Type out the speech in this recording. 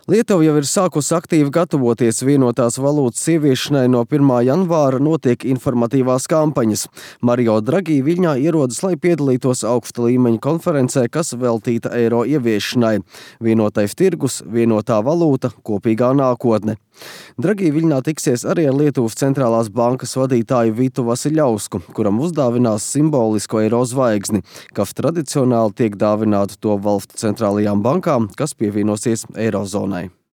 Lietuva jau ir sākusi aktīvi gatavoties vienotās valūtas ieviešanai. No 1. janvāra notiek informatīvās kampaņas. Mario Draghi Viļņā ierodas, lai piedalītos augsta līmeņa konferencē, kas veltīta eiro ieviešanai. Vienotais tirgus, vienotā valūta, kopīgā nākotne. Draghi Viļņā tiksies arī ar Lietuvas centrālās bankas vadītāju Vitu Vasiļausku, kuram uzdāvinās simbolisko eiro zvaigzni, kas tradicionāli tiek dāvināta to valstu centrālajām bankām, kas pievienosies eirozonai.